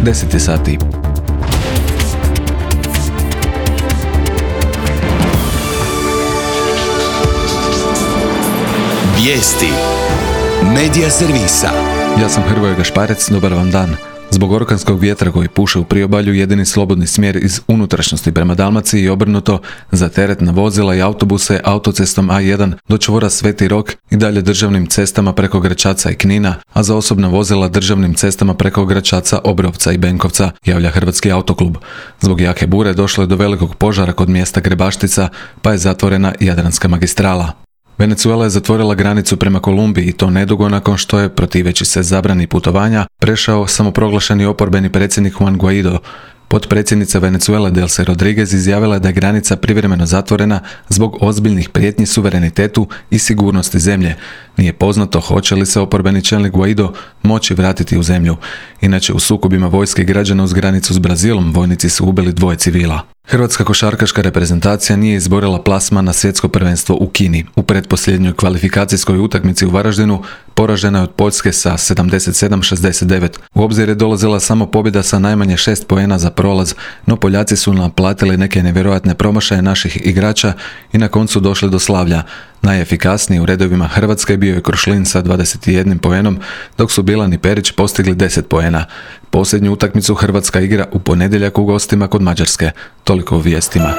10 sati. Vijesti Medija servisa. Ja sam Hrvoje Gašparec, dobar vam dan. Zbog orkanskog vjetra koji puše u priobalju, jedini slobodni smjer iz unutrašnjosti prema Dalmaciji i obrnuto za teretna vozila i autobuse autocestom A1 do čvora Sveti Rok i dalje državnim cestama preko Gračaca i Knina, a za osobna vozila državnim cestama preko Gračaca, Obrovca i Benkovca, javlja Hrvatski autoklub. Zbog jake bure došlo je do velikog požara kod mjesta Grebaštica, pa je zatvorena Jadranska magistrala. Venezuela je zatvorila granicu prema Kolumbiji i to nedugo nakon što je, protiveći se zabrani putovanja, prešao samoproglašeni oporbeni predsjednik Juan Guaido. Potpredsjednica Venezuele Delcy Rodriguez izjavila je da je granica privremeno zatvorena zbog ozbiljnih prijetnji suverenitetu i sigurnosti zemlje. Nije poznato hoće li se oporbeni čelnik Guaido moći vratiti u zemlju. Inače, u sukobima vojske i građana uz granicu s Brazilom vojnici su ubili 2 civila. Hrvatska košarkaška reprezentacija nije izborila plasman na svjetsko prvenstvo u Kini. U pretposljednjoj kvalifikacijskoj utakmici u Varaždinu poražena je od Poljske sa 77-69. U obzir je dolazila samo pobjeda sa najmanje 6 poena za prolaz, no Poljaci su naplatili neke nevjerojatne promašaje naših igrača i na koncu došli do slavlja. Najefikasniji u redovima Hrvatske bio je Krušlin sa 21 poenom, dok su Bilan i Perić postigli 10 poena. Posljednju utakmicu Hrvatska igra u ponedjeljak u gostima kod Mađarske. Toliko u vijestima.